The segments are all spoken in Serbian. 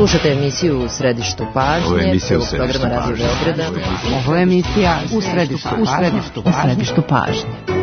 Slušate emisiju U središtu pažnje, prvog programa Radio Beograda. Ovo je emisija U središtu pažnje.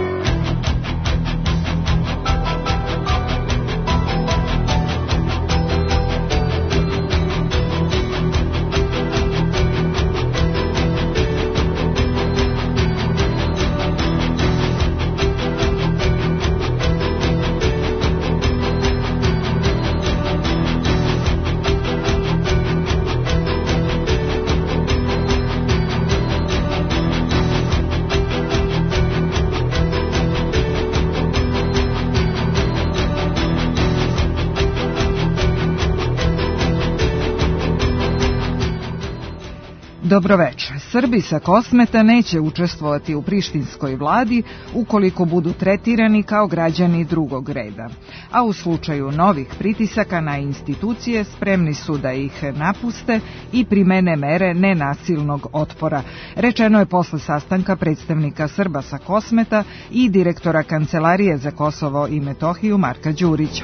Dobroveče. Srbi sa Kosmeta neće učestvovati u prištinskoj vladi ukoliko budu tretirani kao građani drugog reda. A u slučaju novih pritisaka na institucije spremni su da ih napuste i primene mere nenasilnog otpora. Rečeno je posle sastanka predstavnika Srba sa Kosmeta i direktora Kancelarije za Kosovo i Metohiju Marka Đurića.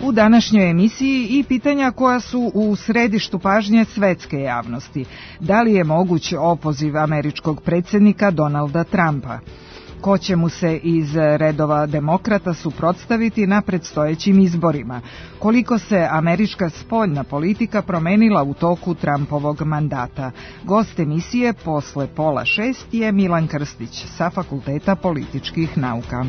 U današnjoj emisiji i pitanja koja su u središtu pažnje svetske javnosti. Da li je moguć opoziv američkog predsjednika Donalda Trumpa? Ko će mu se iz redova demokrata suprotstaviti na predstojećim izborima? Koliko se američka spoljna politika promenila u toku Trumpovog mandata? Gost emisije posle 5:30 je Milan Krstić sa Fakulteta političkih nauka.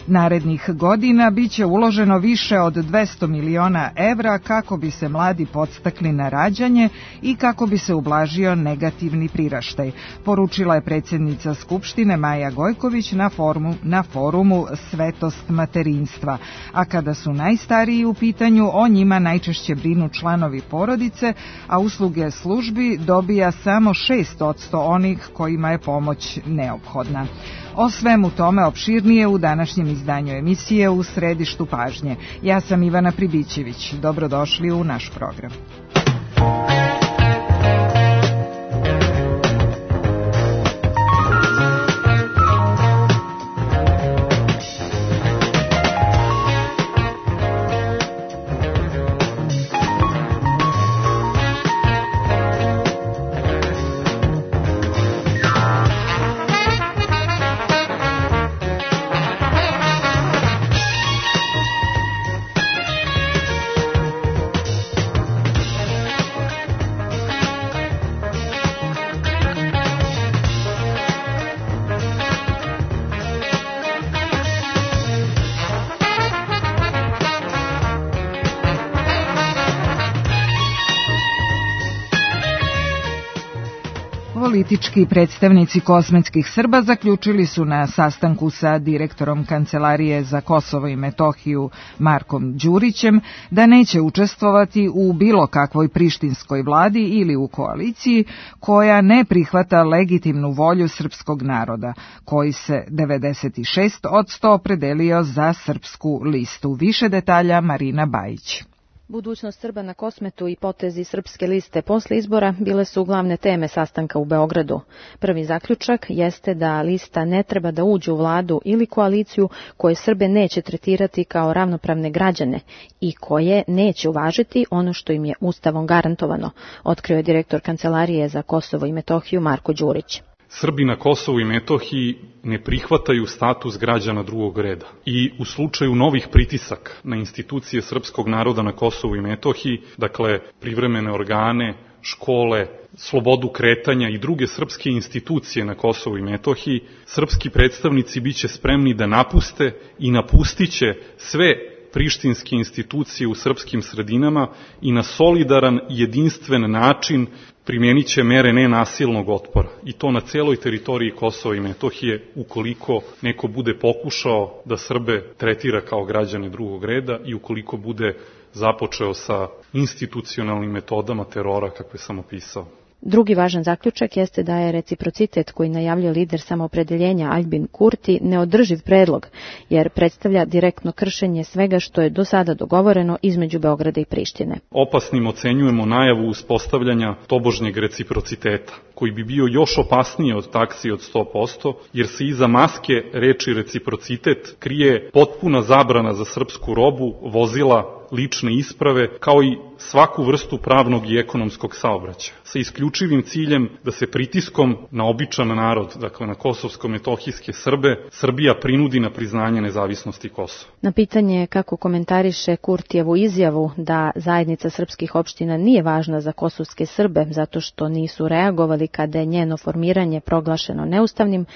Narednih godina biće uloženo više od 200 miliona evra kako bi se mladi podstakli na rađanje i kako bi se ublažio negativni priraštaj, poručila je predsjednica Skupštine Maja Gojković na forumu Svetost materinstva. A kada su najstariji u pitanju, o njima najčešće brinu članovi porodice, a usluge službi dobija samo 6% onih kojima je pomoć neophodna. O svemu tome opširnije u današnjem izdanju emisije U središtu pažnje. Ja sam Ivana Pribićević. Dobrodošli u naš program. Politički predstavnici kosmetskih Srba zaključili su na sastanku sa direktorom Kancelarije za Kosovo i Metohiju Markom Đurićem da neće učestvovati u bilo kakvoj prištinskoj vladi ili u koaliciji koja ne prihvata legitimnu volju srpskog naroda, koji se 96% opredelio za srpsku listu. Više detalja Marina Bajić. Budućnost Srba na Kosmetu i potezi Srpske liste posle izbora bile su glavne teme sastanka u Beogradu. Prvi zaključak jeste da lista ne treba da uđe u vladu ili koaliciju koje Srbe neće tretirati kao ravnopravne građane i koje neće uvažiti ono što im je Ustavom garantovano, otkrio je direktor Kancelarije za Kosovo i Metohiju Marko Đurić. Srbi na Kosovu i Metohiji ne prihvataju status građana drugog reda i u slučaju novih pritisaka na institucije srpskog naroda na Kosovu i Metohiji, dakle privremene organe, škole, slobodu kretanja i druge srpske institucije na Kosovu i Metohiji, srpski predstavnici biće spremni da napuste i napustiće sve prištinske institucije u srpskim sredinama i na solidaran i jedinstven način primjenit će mere nenasilnog otpora i to na celoj teritoriji Kosova i Metohije ukoliko neko bude pokušao da Srbe tretira kao građane drugog reda i ukoliko bude započeo sa institucionalnim metodama terora kakve sam opisao. Drugi važan zaključak jeste da je reciprocitet koji najavljuje lider samoopredeljenja Albin Kurti neodrživ predlog, jer predstavlja direktno kršenje svega što je do sada dogovoreno između Beograda i Prištine. Opasnim ocenjujemo najavu uspostavljanja tobožnjeg reciprociteta, koji bi bio još opasniji od taksi od 100%, jer se iza maske reči reciprocitet krije potpuna zabrana za srpsku robu, vozila, lične isprave, kao i svaku vrstu pravnog i ekonomskog saobraćaja, sa isključivim ciljem da se pritiskom na običan narod, dakle na kosovsko-metohijske Srbe, Srbija prinudi na priznanje nezavisnosti Kosova. Na pitanje kako komentariše Kurtijevu izjavu da zajednica srpskih opština nije važna za kosovske Srbe zato što nisu reagovali kada je njeno formiranje proglašeno neustavnim,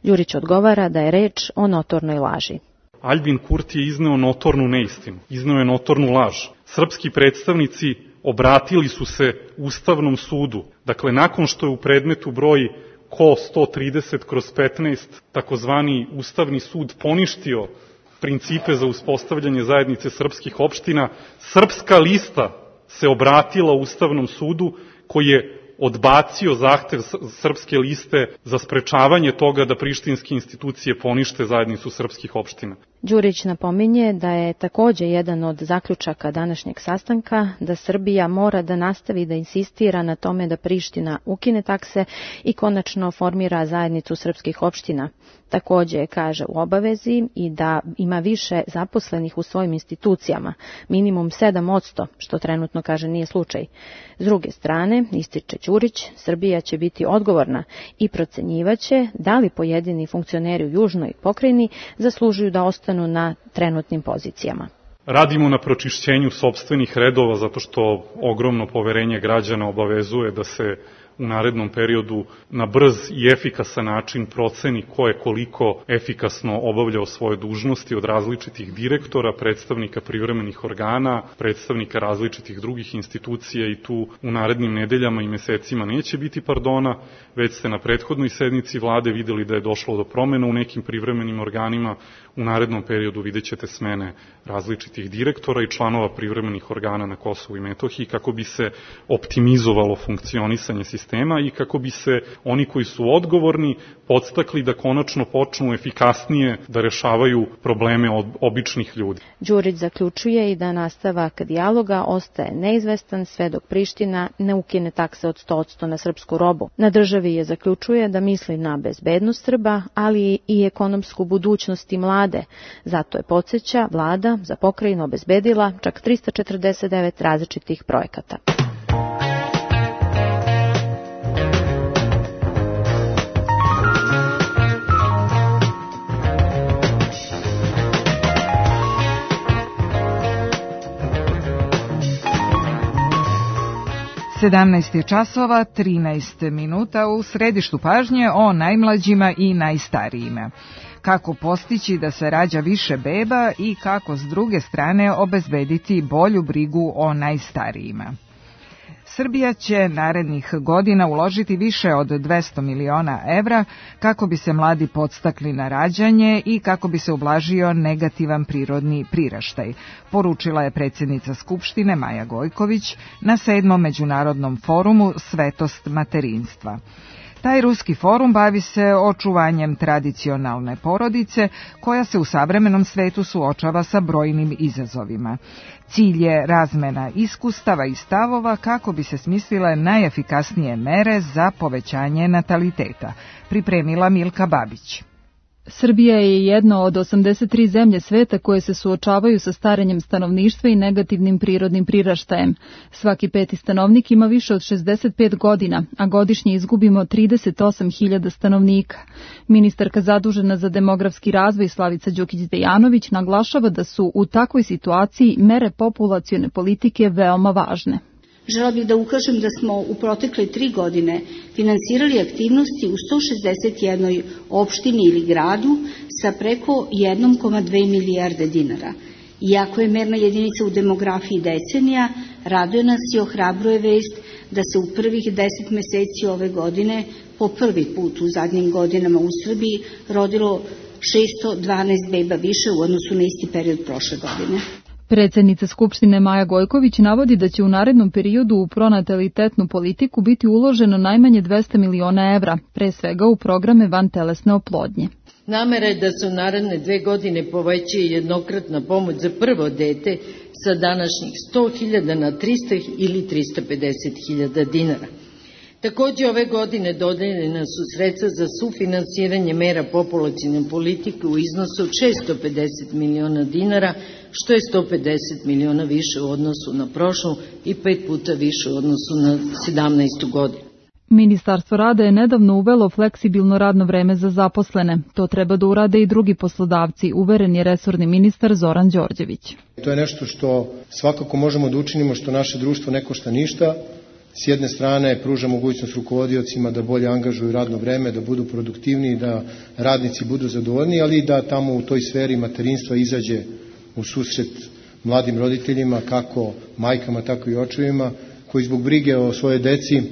Đurić odgovara da je reč o notornoj laži. Albin Kurti je izneo notornu neistinu, izneo je notornu laž. Srpski predstavnici obratili su se Ustavnom sudu. Dakle, nakon što je u predmetu broj KO 130/15 takozvani Ustavni sud poništio principe za uspostavljanje zajednice srpskih opština, Srpska lista se obratila Ustavnom sudu koji je odbacio zahtev Srpske liste za sprečavanje toga da prištinske institucije ponište zajednicu srpskih opština. Đurić napominje da je takođe jedan od zaključaka današnjeg sastanka da Srbija mora da nastavi da insistira na tome da Priština ukine takse i konačno formira zajednicu srpskih opština. Takođe kaže u obavezi i da ima više zaposlenih u svojim institucijama, minimum 7%, što trenutno kaže nije slučaj. S druge strane, ističe Đurić, Srbija će biti odgovorna i procenjivaće da li pojedini funkcioneri u južnoj pokrajini zaslužuju da ostanu na trenutnim pozicijama. Radimo na pročišćenju sopstvenih redova zato što ogromno poverenje građana obavezuje da se u narednom periodu na brz i efikasan način proceni ko je koliko efikasno obavljao svoje dužnosti od različitih direktora, predstavnika privremenih organa, predstavnika različitih drugih institucija i tu u narednim nedeljama i mesecima neće biti pardona, već ste na prethodnoj sednici vlade videli da je došlo do promena u nekim privremenim organima. U narednom periodu vidjet ćete smene različitih direktora i članova privremenih organa na Kosovu i Metohiji kako bi se optimizovalo funkcionisanje sistema i kako bi se oni koji su odgovorni podstakli da konačno počnu efikasnije da rešavaju probleme običnih ljudi. Đurić zaključuje i da nastavak dijaloga ostaje neizvestan sve dok Priština ne ukine takse od 100% na srpsku robu. Na državi je zaključuje da misli na bezbednost Srba, ali i ekonomsku budućnost i mlade. Zato je, podsjeća, vlada za pokrajinu obezbedila čak 349 različitih projekata. Sedamnaest je časova, 13 minuta u središtu pažnje o najmlađima i najstarijima. Kako postići da se rađa više beba i kako s druge strane obezbediti bolju brigu o najstarijima. Srbija će narednih godina uložiti više od 200 miliona evra kako bi se mladi podstakli na rađanje i kako bi se ublažio negativan prirodni priraštaj, poručila je predsjednica Skupštine Maja Gojković na 7. međunarodnom forumu Svetost materinstva. Taj ruski forum bavi se očuvanjem tradicionalne porodice koja se u savremenom svetu suočava sa brojnim izazovima. Cilj je razmena iskustava i stavova kako bi se smislile najefikasnije mere za povećanje nataliteta, pripremila Milka Babić. Srbija je jedna od 83 zemlje sveta koje se suočavaju sa starenjem stanovništva i negativnim prirodnim priraštajem. Svaki peti stanovnik ima više od 65 godina, a godišnje izgubimo 38.000 stanovnika. Ministarka zadužena za demografski razvoj Slavica Đukić-Dejanović naglašava da su u takvoj situaciji mere populacione politike veoma važne. Žela bih da ukažem da smo u protekle 3 godine finansirali aktivnosti u 161 opštini ili gradu sa preko 1,2 milijarde dinara. Iako je merna jedinica u demografiji decenija, raduje nas i ohrabruje vest da se u prvih 10 meseci ove godine po prvi put u zadnjim godinama u Srbiji rodilo 612 beba više u odnosu na isti period prošle godine. Predsednica Skupštine Maja Gojković navodi da će u narednom periodu u pronatalitetnu politiku biti uloženo najmanje 200 miliona evra, pre svega u programe vantelesne oplodnje. Namera je da se u naredne 2 godine poveća jednokratna pomoć za prvo dete sa današnjih 100.000 na 300 ili 350.000 dinara. Takođe, ove godine dodeljena su sredstva za sufinansiranje mera populacione politike u iznosu od 650 miliona dinara, što je 150 miliona više u odnosu na prošlu i 5 puta više u odnosu na 2017. godinu. Ministarstvo rada je nedavno uvelo fleksibilno radno vreme za zaposlene. To treba da urade i drugi poslodavci, uveren je resorni ministar Zoran Đorđević. To je nešto što svakako možemo da učinimo, što naše društvo ne košta ništa. S jedne strane pruža mogućnost rukovodiocima da bolje angažuju radno vreme, da budu produktivniji, da radnici budu zadovoljni, ali i da tamo u toj sferi materinstva izađe u susret mladim roditeljima, kako majkama, tako i očevima, koji zbog brige o svojoj deci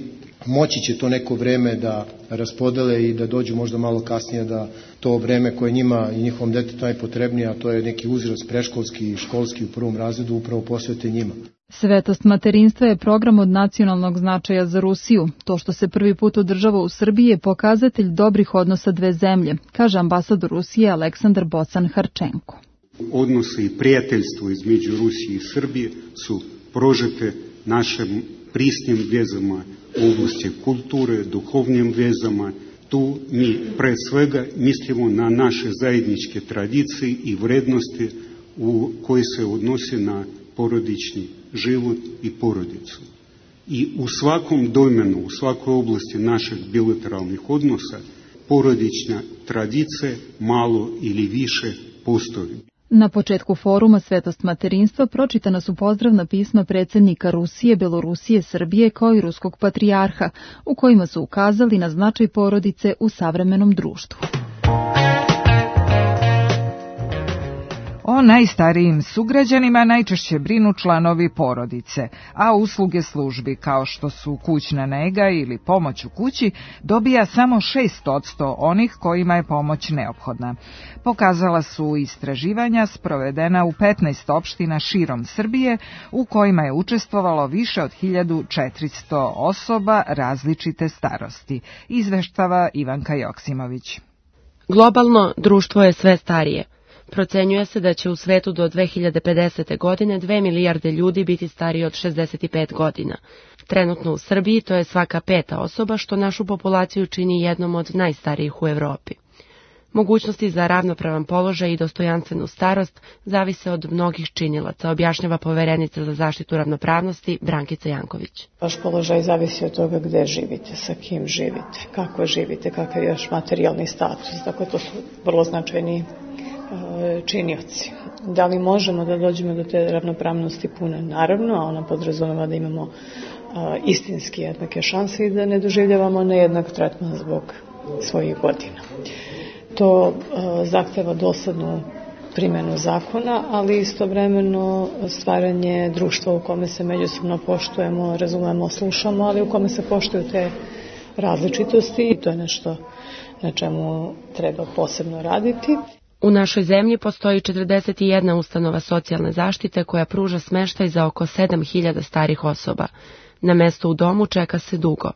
moći će to neko vreme da raspodele i da dođu možda malo kasnije da to vreme koje njima i njihovom detetu najpotrebnije, a to je neki uzrast preškolski i školski u prvom razredu, upravo posvete njima. Svetost materinstva je program od nacionalnog značaja za Rusiju. To što se prvi put održava u Srbiji je pokazatelj dobrih odnosa dve zemlje, kaže ambasador Rusije Aleksandar Bocan-Harčenko. Odnose i prijateljstvo između Rusije i Srbije su prožete našim prisnim vezama u oblasti kulture, duhovnim vezama. Tu mi pre svega mislimo na naše zajedničke tradicije i vrednosti koje se odnose na porodični život i porodicu. I u svakom domenu, u svakoj oblasti naših bilateralnih odnosa, porodična tradicija malo ili više postoji. Na početku foruma Svetost materinstva pročitana su pozdravna pisma predsjednika Rusije, Belorusije, Srbije kao i ruskog patrijarha, u kojima su ukazali na značaj porodice u savremenom društvu. O najstarijim sugrađanima najčešće brinu članovi porodice, a usluge službi kao što su kućna nega ili pomoć u kući dobija samo 6% onih kojima je pomoć neophodna. Pokazala su istraživanja sprovedena u 15 opština širom Srbije u kojima je učestvovalo više od 1400 osoba različite starosti, izveštava Ivanka Joksimović. Globalno društvo je sve starije. Procenjuje se da će u svetu do 2050. godine 2 milijarde ljudi biti stariji od 65 godina. Trenutno u Srbiji to je svaka 5. osoba, što našu populaciju čini jednom od najstarijih u Evropi. Mogućnosti za ravnopravan položaj i dostojanstvenu starost zavise od mnogih činilaca, objašnjava poverenica za zaštitu ravnopravnosti Brankica Janković. Vaš položaj zavisi od toga gde živite, sa kim živite, kako živite, kakav je još materijalni status. Dakle, to su vrlo značajni činioci. Da li možemo da dođemo do te ravnopravnosti pune? Naravno, a ona podrazumeva da imamo istinski jednake šanse i da ne doživljavamo nejednak tretman zbog svojih godina. To zahteva doslednu primjenu zakona, ali istovremeno stvaranje društva u kome se međusobno poštujemo, razumemo, slušamo, ali u kome se poštuju te različitosti i to je nešto na čemu treba posebno raditi. U našoj zemlji postoji 41 ustanova socijalne zaštite koja pruža smeštaj za oko 7.000 starih osoba. Na mesto u domu čeka se dugo.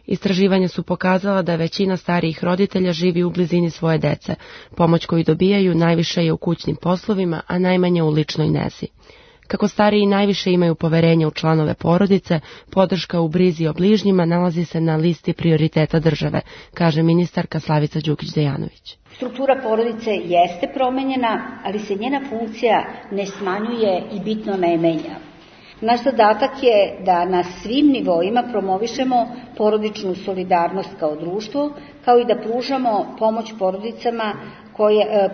Istraživanja su pokazala da većina starijih roditelja živi u blizini svoje dece. Pomoć koju dobijaju najviše je u kućnim poslovima, a najmanje u ličnoj nezi. Kako stariji najviše imaju poverenja u članove porodice, podrška u brizi o bližnjima nalazi se na listi prioriteta države, kaže ministarka Slavica Đukić-Dejanović. Struktura porodice jeste promenjena, ali se njena funkcija ne smanjuje i bitno ne menja. Naš zadatak je da na svim nivoima promovišemo porodičnu solidarnost kao društvo, kao i da pružamo pomoć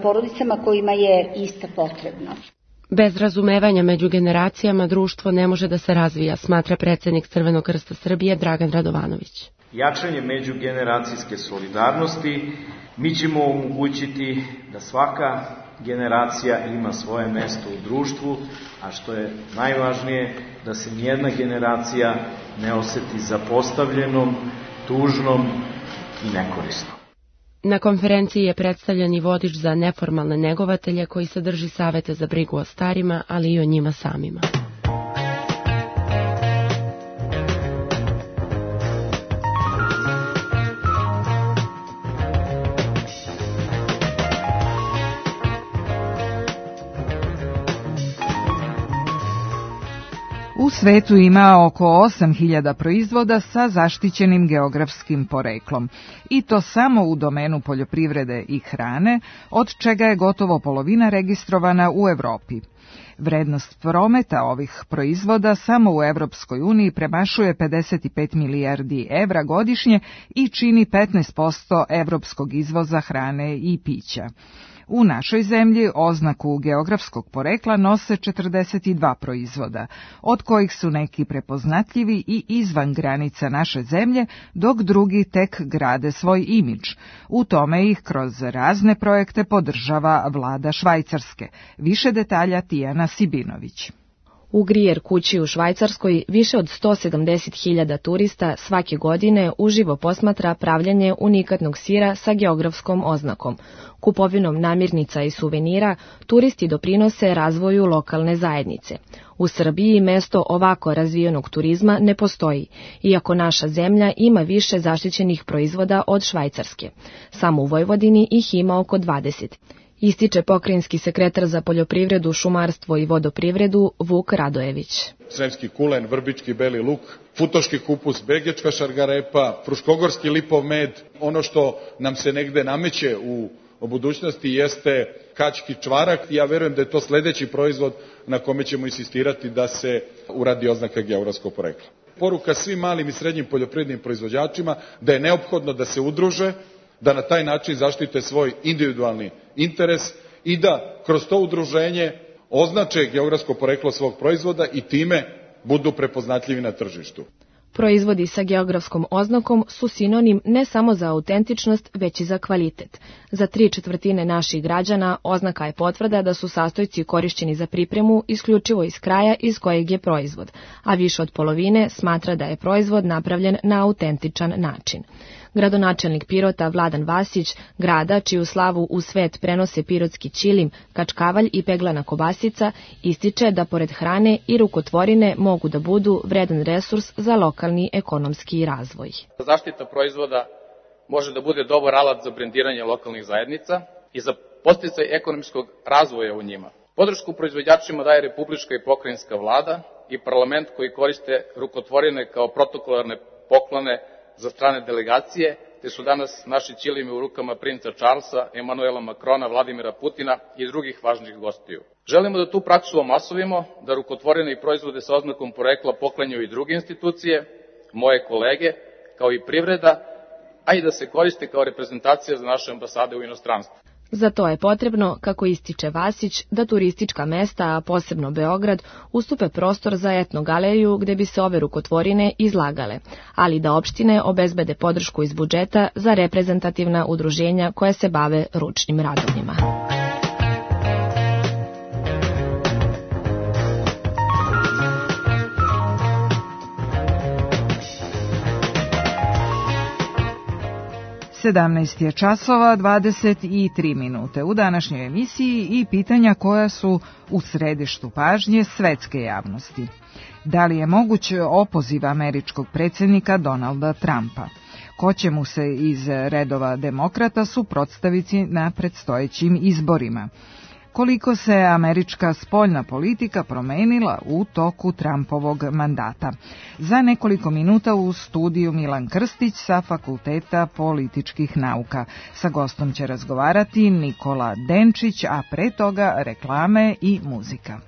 porodicama kojima je ista potrebna. Bez razumevanja među generacijama društvo ne može da se razvija, smatra predsjednik Crvenog krsta Srbije Dragan Radovanović. Jačanje međugeneracijske solidarnosti mi ćemo omogućiti da svaka generacija ima svoje mesto u društvu, a što je najvažnije, da se nijedna generacija ne oseti zapostavljenom, tužnom i nekorisnom. Na konferenciji je predstavljen i vodič za neformalne negovatelje koji sadrži savete za brigu o starima, ali i o njima samima. U svetu ima oko 8.000 proizvoda sa zaštićenim geografskim poreklom, i to samo u domenu poljoprivrede i hrane, od čega je gotovo polovina registrovana u Evropi. Vrednost prometa ovih proizvoda samo u Evropskoj uniji premašuje 55 milijardi evra godišnje i čini 15% evropskog izvoza hrane i pića. U našoj zemlji oznaku geografskog porekla nose 42 proizvoda, od kojih su neki prepoznatljivi i izvan granica naše zemlje, dok drugi tek grade svoj imidž. U tome ih kroz razne projekte podržava vlada Švajcarske. Više detalja Tijana Sibinović. U Grijer kući u Švajcarskoj više od 170.000 turista svake godine uživo posmatra pravljanje unikatnog sira sa geografskom oznakom. Kupovinom namirnica i suvenira turisti doprinose razvoju lokalne zajednice. U Srbiji mesto ovako razvijenog turizma ne postoji, iako naša zemlja ima više zaštićenih proizvoda od Švajcarske. Samo u Vojvodini ih ima oko 20. Ističe pokrajinski sekretar za poljoprivredu, šumarstvo i vodoprivredu Vuk Radojević. Sremski kulen, vrbički beli luk, futoški kupus, begečka šargarepa, fruškogorski lipov med. Ono što nam se negde nameće u budućnosti jeste kački čvarak. Ja verujem da je to sledeći proizvod na kome ćemo insistirati da se uradi oznaka geografskog porekla. Poruka svim malim i srednjim poljoprivrednim proizvođačima da je neophodno da se udruže, da na taj način zaštite svoj individualni interes i da kroz to udruženje označe geografsko poreklo svog proizvoda i time budu prepoznatljivi na tržištu. Proizvodi sa geografskom oznakom su sinonim ne samo za autentičnost, već i za kvalitet. Za 3/4 naših građana oznaka je potvrda da su sastojci korišćeni za pripremu isključivo iz kraja iz kojeg je proizvod, a više od polovine smatra da je proizvod napravljen na autentičan način. Gradonačelnik Pirota Vladan Vasić, grada čiju slavu u svet prenose pirotski ćilim, kačkavalj i peglana kobasica, ističe da pored hrane i rukotvorine mogu da budu vredan resurs za lokalni ekonomski razvoj. Zaštita proizvoda može da bude dobar alat za brendiranje lokalnih zajednica i za podsticaj ekonomskog razvoja u njima. Podršku proizvođačima daje republička i pokrajinska vlada i parlament koji koriste rukotvorine kao protokolarne poklone za strane delegacije, te su danas naši ćilimi u rukama princa Charlesa, Emanuela Makrona, Vladimira Putina i drugih važnih gostiju. Želimo da tu praksu omasovimo, da rukotvorene i proizvode sa oznakom porekla poklanjaju i druge institucije, moje kolege, kao i privreda, a i da se koriste kao reprezentacija za naše ambasade u inostranstvu. Za to je potrebno, kako ističe Vasić, da turistička mesta, a posebno Beograd, ustupe prostor za etnogaleriju gde bi se ove rukotvorine izlagale, ali da opštine obezbede podršku iz budžeta za reprezentativna udruženja koja se bave ručnim radovima. Sedamnaest je časova 23 minute u današnjoj emisiji i pitanja koja su u središtu pažnje svetske javnosti. Da li je moguć opoziv američkog predsjednika Donalda Trumpa? Ko će mu se iz redova demokrata suprotstaviti na predstojećim izborima? Koliko se američka spoljna politika promenila u toku Trumpovog mandata? Za nekoliko minuta u studiju Milan Krstić sa Fakulteta političkih nauka. Sa gostom će razgovarati Nikola Denčić, a pre toga reklame i muzika.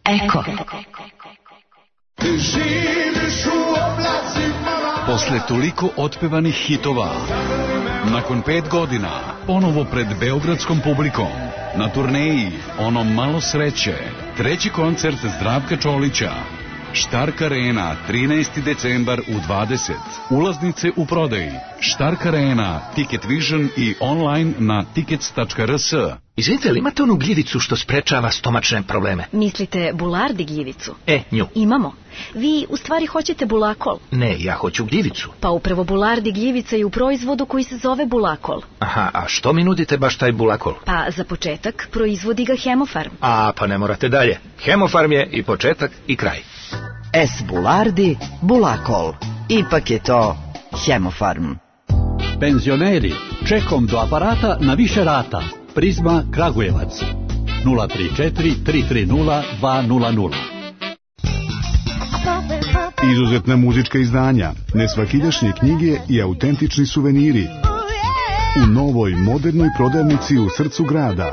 Eko. Posle toliko otpevanih hitova, nakon 5 godina, ponovo pred beogradskom publikom, na turneji Ono malo sreće, treći koncert Zdravka Čolića Štark Arena, 13. decembar u 20. Ulaznice u prodaji. Štark Arena, Ticket Vision i online na tickets.rs. Izvinite, li imate onu gljivicu što sprečava stomačne probleme? Mislite bulardi gljivicu? Nju. Imamo. Vi u stvari hoćete bulakol? Ne, ja hoću gljivicu. Pa upravo bulardi gljivica je u proizvodu koji se zove bulakol. Aha, a što mi nudite baš taj bulakol? Pa za početak proizvodi ga Hemofarm. Pa ne morate dalje. Hemofarm je i početak i kraj. S. Bulardi, bulakol. Ipak je to Hemofarm. Penzioneri, čekom do aparata na više rata. Prizma Kragujevac 034 330 200. Izuzetna muzička izdanja, nesvakidašnje knjige i autentični suveniri u novoj modernoj prodavnici u srcu grada.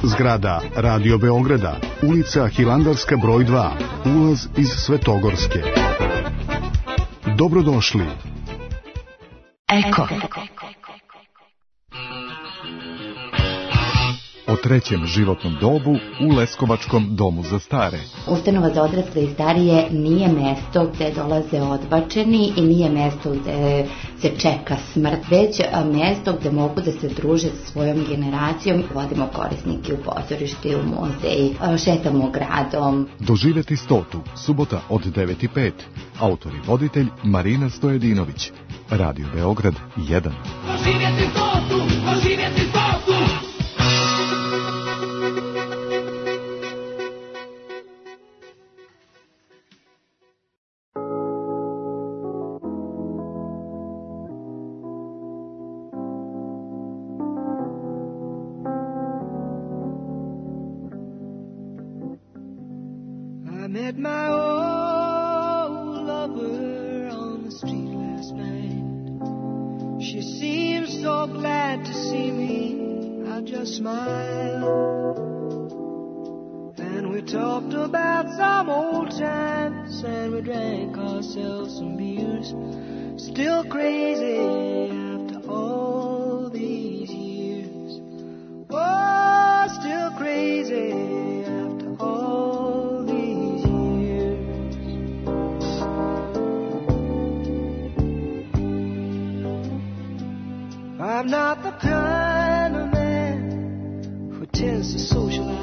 Zgrada Radio Beograda, ulica Hilandarska broj 2, ulaz iz Svetogorske. Dobrodošli. Eko. O trećem životnom dobu u Leskovačkom domu za stare. Ustanova za odrasle i starije nije mesto gde dolaze odbačeni i nije mesto gde se čeka smrt, već mesto gde mogu da se druže sa svojom generacijom. Vodimo korisnike u pozorište, u muzej, šetamo gradom. Doživjeti stotu, subota od 9:05. Autor i voditelj Marina Stojedinović. Radio Beograd 1. Doživjeti stotu, doživjeti stotu. I met my old lover on the street last night. She seemed so glad to see me, I just smiled. And we talked about some old times, and we drank ourselves some beers. Still crazy after all these years. Oh, still crazy after all these years. I'm not the kind of man who tends to socialize.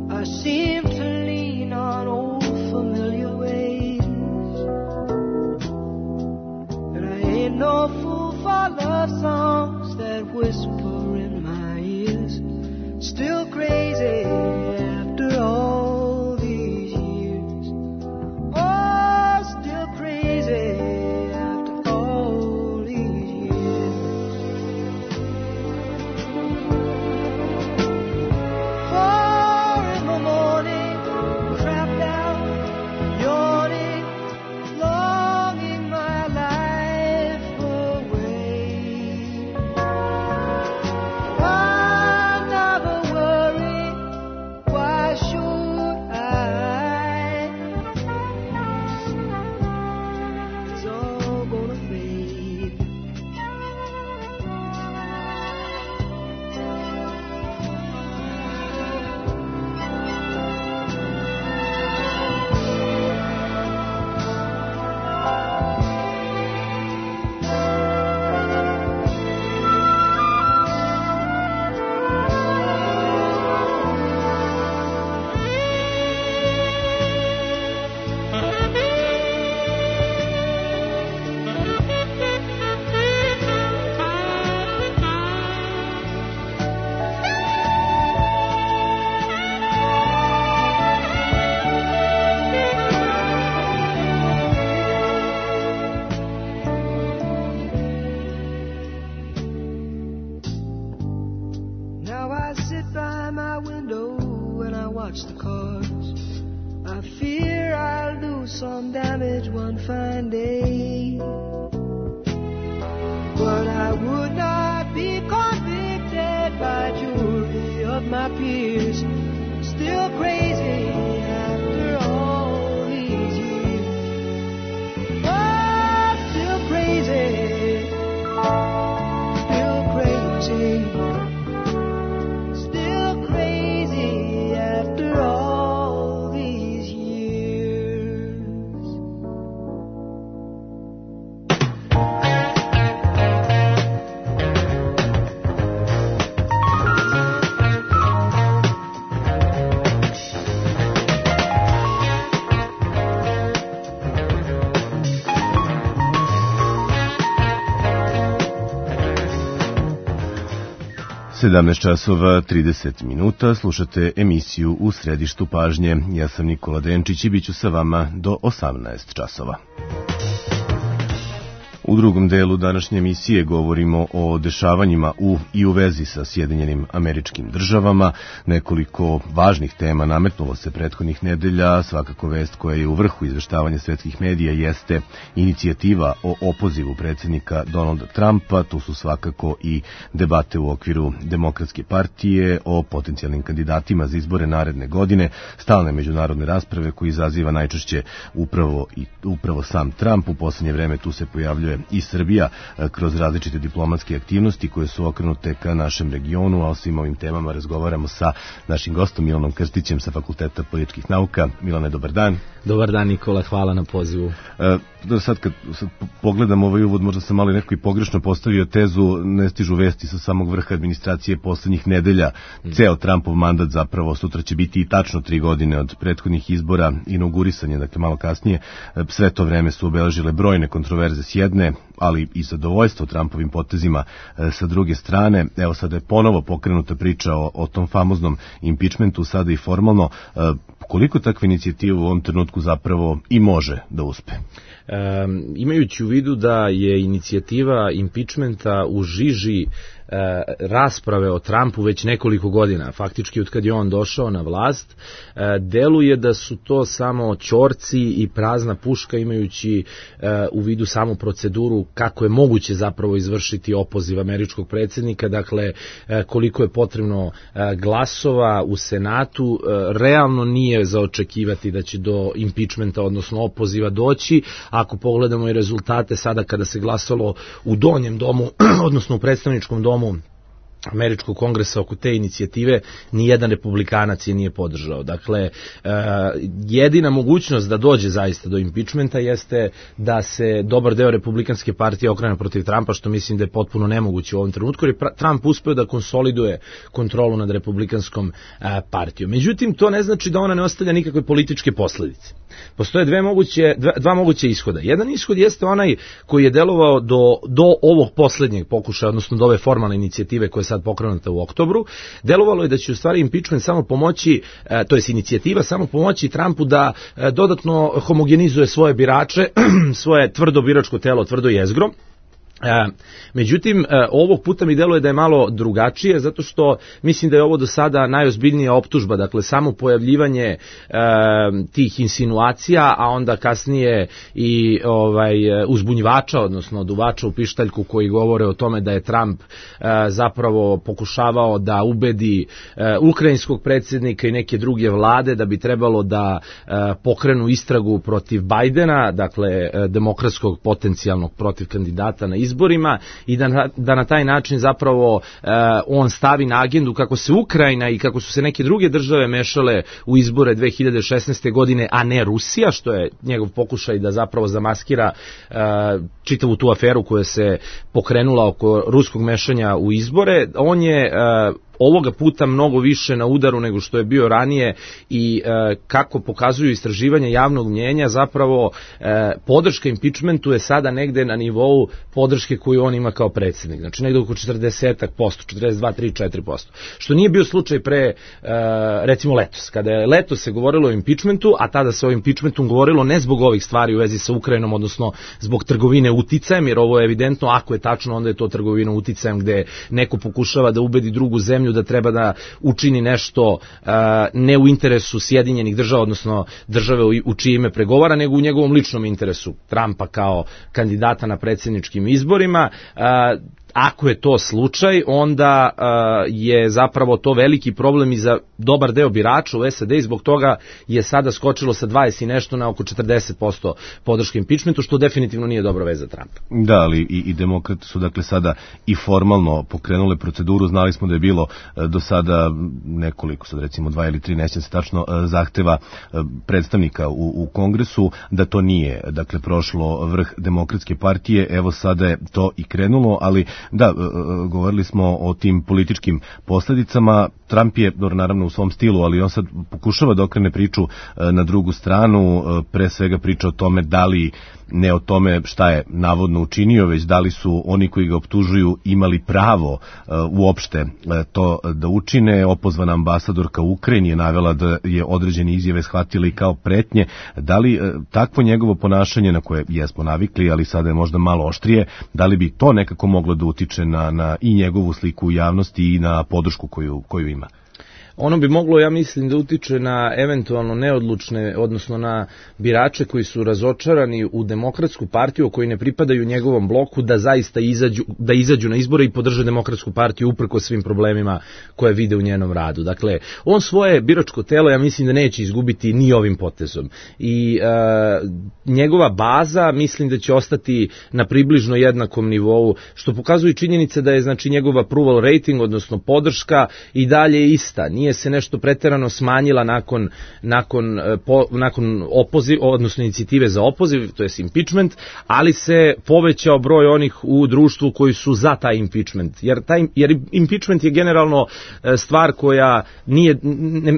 I seem to lean on old familiar ways. And I ain't no fool for love songs that whisper in my ears. Still crazy after all these years. Oh, still crazy after all these years. 4 in the morning, trapped out, yawning, longing my life away. I never worry, why should I? It's all gonna fade. Now I sit by my window and I watch the cars. I fear I'll do some damage one fine day. But I would not be convicted by jury of my peers. Still crazy after all these years. Oh, still crazy. Still crazy. Still crazy after all 17 časova 30 minuta, slušate emisiju U središtu pažnje. Ja sam Nikola Denčić i bit ću sa vama do 18 časova. U drugom delu današnje emisije govorimo o dešavanjima i u vezi sa Sjedinjenim Američkim Državama. Nekoliko važnih tema nametnulo se prethodnih nedelja. Svakako vest koja je u vrhu izveštavanja svetskih medija jeste inicijativa o opozivu predsjednika Donalda Trumpa. Tu su svakako i debate u okviru Demokratske partije o potencijalnim kandidatima za izbore naredne godine, stalne međunarodne rasprave koji izaziva najčešće upravo sam Trump. U posljednje vreme tu se pojavljuje i Srbija kroz različite diplomatske aktivnosti koje su okrenute ka našem regionu, a o svim ovim temama razgovaramo sa našim gostom Milanom Krstićem sa Fakulteta političkih nauka. Milane, dobar dan. Dobar dan, Nikola, hvala na pozivu. Sad kad pogledam ovaj uvod, možda sam malo neko i pogrešno postavio tezu, ne stižu vesti sa samog vrha administracije poslednjih nedelja. Ceo Trumpov mandat zapravo sutra će biti i tačno 3 godine od prethodnih izbora, inaugurisanje, dakle malo kasnije. Sve to vreme su obeležile brojne kontroverze s jedne, ali i zadovoljstvo Trumpovim potezima sa druge strane. Evo sada je ponovo pokrenuta priča o tom famoznom impeachmentu, sada i formalno. Koliko takva inicijativa u ovom trenutku zapravo i može da uspe? Imajući u vidu da je inicijativa impeachmenta u žiži rasprave o Trumpu već nekoliko godina, faktički od kad je on došao na vlast, deluje da su to samo ćorci i prazna puška, imajući u vidu samu proceduru kako je moguće zapravo izvršiti opoziv američkog predsjednika, dakle koliko je potrebno glasova u Senatu, realno nije za očekivati da će do impeachmenta, odnosno opoziva doći. Ako pogledamo i rezultate sada kada se glasalo u donjem domu, odnosno u predstavničkom domu Američkog kongresa oko te inicijative, nijedan republikanac je nije podržao. Dakle, jedina mogućnost da dođe zaista do impeachmenta jeste da se dobar deo republikanske partije okrene protiv Trumpa, što mislim da je potpuno nemoguće u ovom trenutku, jer je Trump uspeo da konsoliduje kontrolu nad republikanskom partijom. Međutim, to ne znači da ona ne ostavlja nikakve političke posledice. Postoje dva moguće ishoda. Jedan ishod jeste onaj koji je delovao do ovog poslednjeg pokušaja, odnosno do ove formalne inicijative koja je sad pokrenuta u oktobru. Delovalo je da će u stvari impeachment samo pomoći, to je inicijativa samo pomoći Trumpu da dodatno homogenizuje svoje birače, svoje tvrdo biračko telo, tvrdo jezgro. Međutim, ovog puta mi deluje da je malo drugačije, zato što mislim da je ovo do sada najozbiljnija optužba, dakle samo pojavljivanje tih insinuacija, a onda kasnije i uzbunjivača, odnosno duvača u pištaljku koji govore o tome da je Trump zapravo pokušavao da ubedi ukrajinskog predsjednika i neke druge vlade da bi trebalo da pokrenu istragu protiv Bajdena, dakle demokratskog potencijalnog protiv kandidata na izborima, i da na taj način zapravo on stavi na agendu kako se Ukrajina i kako su se neke druge države mešale u izbore 2016. godine, a ne Rusija, što je njegov pokušaj da zapravo zamaskira čitavu tu aferu koja se pokrenula oko ruskog mešanja u izbore. On je ovoga puta mnogo više na udaru nego što je bio ranije i kako pokazuju istraživanja javnog mnjenja, zapravo podrška impeachmentu je sada negde na nivou podrške koju on ima kao predsjednik. Znači negde oko 40%, 42, 3, 4%. Što nije bio slučaj pre, recimo letos. Kada je letos se govorilo o impeachmentu, a tada se o impeachmentu govorilo ne zbog ovih stvari u vezi sa Ukrajinom, odnosno zbog trgovine uticajem, jer ovo je evidentno, ako je tačno, onda je to trgovina uticajem gde neko pokušava da ubedi drugu zemlju da treba da učini nešto ne u interesu Sjedinjenih država, odnosno države u čije ime pregovara, nego u njegovom ličnom interesu Trumpa kao kandidata na predsjedničkim izborima. Ako je to slučaj, onda je zapravo to veliki problem i za dobar deo birača u SAD i zbog toga je sada skočilo sa 20 i nešto na oko 40% podrške impeachmentu, što definitivno nije dobra veza Trumpa. Da, ali i demokrati su dakle sada i formalno pokrenule proceduru. Znali smo da je bilo do sada nekoliko, sad recimo 2 ili 3, nećem se tačno, zahteva predstavnika u Kongresu, da to nije dakle prošlo vrh Demokratske partije. Evo sada je to i krenulo, ali da, govorili smo o tim političkim posljedicama. Trump je, naravno u svom stilu, ali on sad pokušava da okrene priču na drugu stranu, pre svega priča o tome da li ne o tome šta je navodno učinio, već da li su oni koji ga optužuju imali pravo uopšte to da učine. Opozvana ambasadorka u Ukrajini je navela da je određene izjave shvatili kao pretnje. Da li takvo njegovo ponašanje, na koje jesmo navikli, ali sada je možda malo oštrije, da li bi to nekako moglo da utiče na i njegovu sliku u javnosti i na podršku koju ima? Ono bi moglo, ja mislim, da utiče na eventualno neodlučne, odnosno na birače koji su razočarani u Demokratsku partiju, koji ne pripadaju njegovom bloku, da zaista izađu na izbore i podrže Demokratsku partiju uprkos svim problemima koje vide u njenom radu. Dakle, on svoje biračko telo, ja mislim da neće izgubiti ni ovim potezom. I njegova baza, mislim da će ostati na približno jednakom nivou, što pokazuje činjenica da je, znači, njegov approval rating, odnosno podrška, i dalje ista. Nije se nešto preterano smanjila nakon opoziv, odnosno inicijative za opoziv, to je impeachment, ali se povećao broj onih u društvu koji su za taj impeachment. Jer impeachment je generalno stvar koja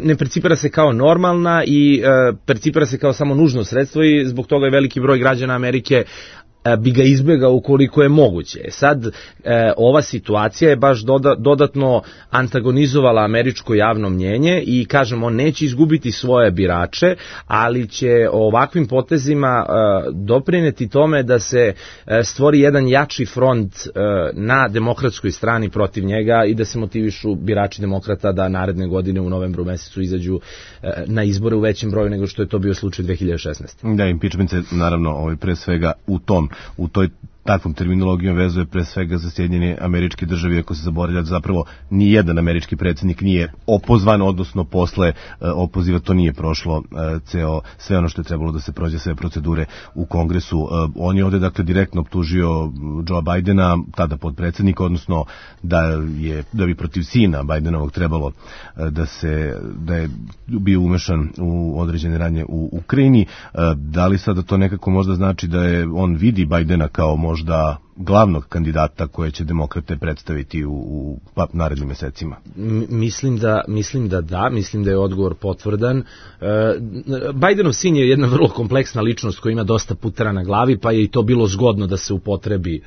ne percipira se kao normalna i percipira se kao samo nužno sredstvo, i zbog toga je veliki broj građana Amerike bi ga izbjegao ukoliko je moguće. Sad, ova situacija je baš dodatno antagonizovala američko javno mnjenje i, kažem, on neće izgubiti svoje birače, ali će ovakvim potezima doprineti tome da se stvori jedan jači front na demokratskoj strani protiv njega i da se motivišu birači demokrata da naredne godine u novembru mesecu izađu na izbore u većem broju nego što je to bio slučaj 2016. Da, impeachment se naravno pre svega u toj takvom terminologijom vezuje pre svega za Sjedinjene Američke Države, ako se zaboravlja da zapravo ni jedan američki predsjednik nije opozvan, odnosno posle opoziva to nije prošlo sve ono što je trebalo da se prođe, sve procedure u Kongresu. On je ovde dakle direktno optužio Joe Bidena, tada podpredsjednika, odnosno da bi protiv sina Bidenovog trebalo da je bio umešan u određene radnje u Ukrajini. Da li sada to nekako možda znači da on vidi Bidena kao možda glavnog kandidata koje će demokrate predstaviti u narednim mesecima? Mislim da je odgovor potvrdan. Bidenov sin je jedna vrlo kompleksna ličnost koja ima dosta putera na glavi, pa je i to bilo zgodno da se upotrebi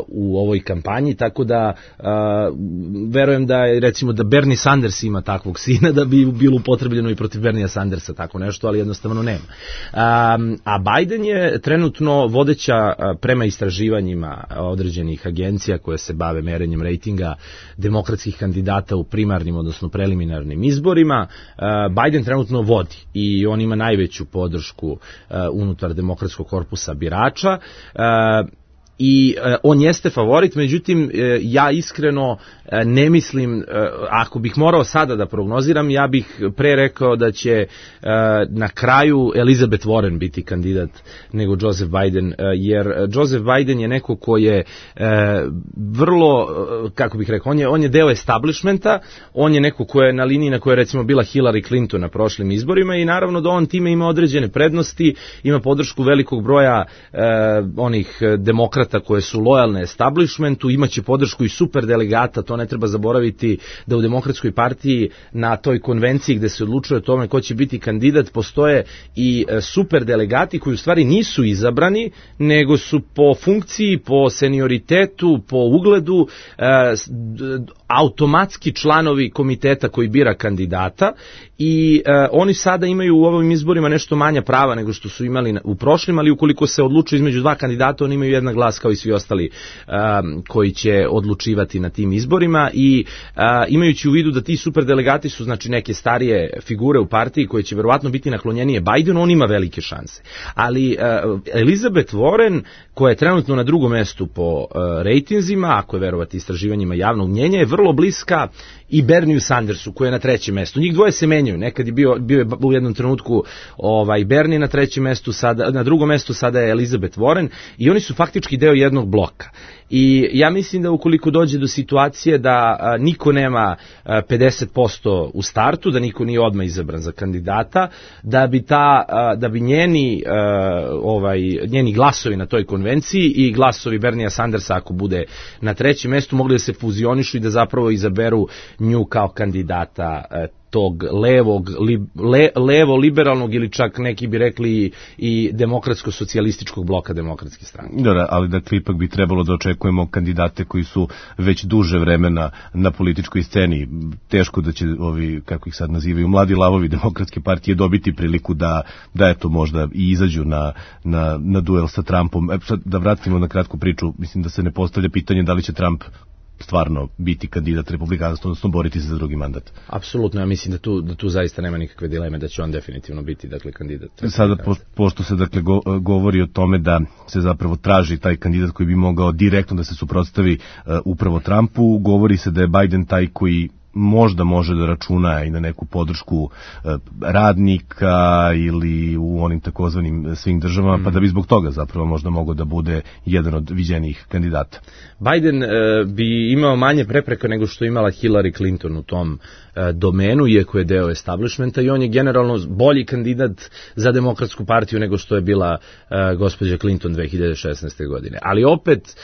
u ovoj kampanji, tako da verujem da recimo da Bernie Sanders ima takvog sina, da bi bilo upotrebljeno i protiv Berniea Sandersa tako nešto, ali jednostavno nema. A Biden je trenutno vodeća prema istraživanjima određenih agencija koje se bave merenjem rejtinga demokratskih kandidata u primarnim, odnosno preliminarnim izborima. Biden trenutno vodi i on ima najveću podršku unutar demokratskog korpusa birača. I on jeste favorit, međutim ja iskreno ne mislim, ako bih morao sada da prognoziram, ja bih pre rekao da će na kraju Elizabeth Warren biti kandidat nego Joseph Biden, jer Joseph Biden je neko ko je vrlo, kako bih rekao, on je deo establishmenta, on je neko ko je na liniji na kojoj je recimo bila Hillary Clinton na prošlim izborima i naravno da on time ima određene prednosti, ima podršku velikog broja onih demokrata koje su lojalne establishmentu, imaće podršku i super delegata, to ne treba zaboraviti da u Demokratskoj partiji na toj konvenciji gde se odlučuje o tome ko će biti kandidat postoje i super delegati koji u stvari nisu izabrani, nego su po funkciji, po senioritetu, po ugledu automatski članovi komiteta koji bira kandidata i oni sada imaju u ovim izborima nešto manja prava nego što su imali u prošlim, ali ukoliko se odlučuje između dva kandidata, oni imaju jednak glas kao i svi ostali koji će odlučivati na tim izborima i imajući u vidu da ti superdelegati su znači neke starije figure u partiji koje će verovatno biti naklonjenije Bidenu, on ima velike šanse. Ali Elizabeth Warren, koja je trenutno na drugom mestu po rejtinzima, ako je verovati istraživanjima javnog mnjenja, je vrlo bliska i Bernieu Sandersu koji je na trećem mestu. Njih dvoje se menjaju. Nekad je bio je u jednom trenutku Bernie na trećem mestu, na drugom mestu sada je Elizabeth Warren i oni su faktički deo jednog bloka. I ja mislim da ukoliko dođe do situacije da niko nema 50% u startu, da niko nije odmah izabran za kandidata, da bi njeni glasovi na toj konvenciji i glasovi Berniea Sandersa ako bude na trećem mestu mogli da se fuzionišu i da zapravo izaberu nju kao kandidata tog levo-liberalnog ili čak neki bi rekli i demokratsko-socijalističkog bloka demokratske stranke. Da, ali dakle ipak bi trebalo da očekujemo kandidate koji su već duže vremena na političkoj sceni. Teško da će ovi, kako ih sad nazivaju, mladi lavovi demokratske partije dobiti priliku da eto možda i izađu na duel sa Trumpom. Sad da vratimo na kratku priču, mislim da se ne postavlja pitanje da li će Trump stvarno biti kandidat republikanstva, odnosno boriti se za drugi mandat. Apsolutno, ja mislim da tu zaista nema nikakve dileme da će on definitivno biti kandidat. Sada, pošto se govori o tome da se zapravo traži taj kandidat koji bi mogao direktno da se suprotstavi upravo Trumpu, govori se da je Biden taj koji možda može da računa i na neku podršku radnika ili u onim takozvanim swing državama, pa da bi zbog toga zapravo možda mogao da bude jedan od viđenijih kandidata. Biden bi imao manje prepreka nego što imala Hillary Clinton u tom domenu, iako je deo establishmenta, i on je generalno bolji kandidat za demokratsku partiju nego što je bila gospođa Clinton 2016. godine. Ali opet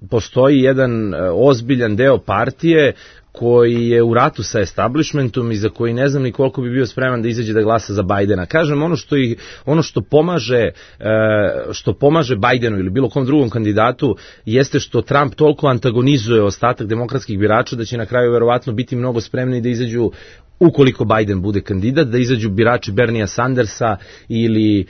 postoji jedan ozbiljan deo partije koji je u ratu sa establishmentom i za koji ne znam ni koliko bi bio spreman da izađe da glasa za Bidena. Kažem, ono što pomaže Bidenu ili bilo kom drugom kandidatu jeste što Trump toliko antagonizuje ostatak demokratskih birača da će na kraju verovatno biti mnogo spremni da izađu, ukoliko Biden bude kandidat, da izađu birači Bernia Sandersa ili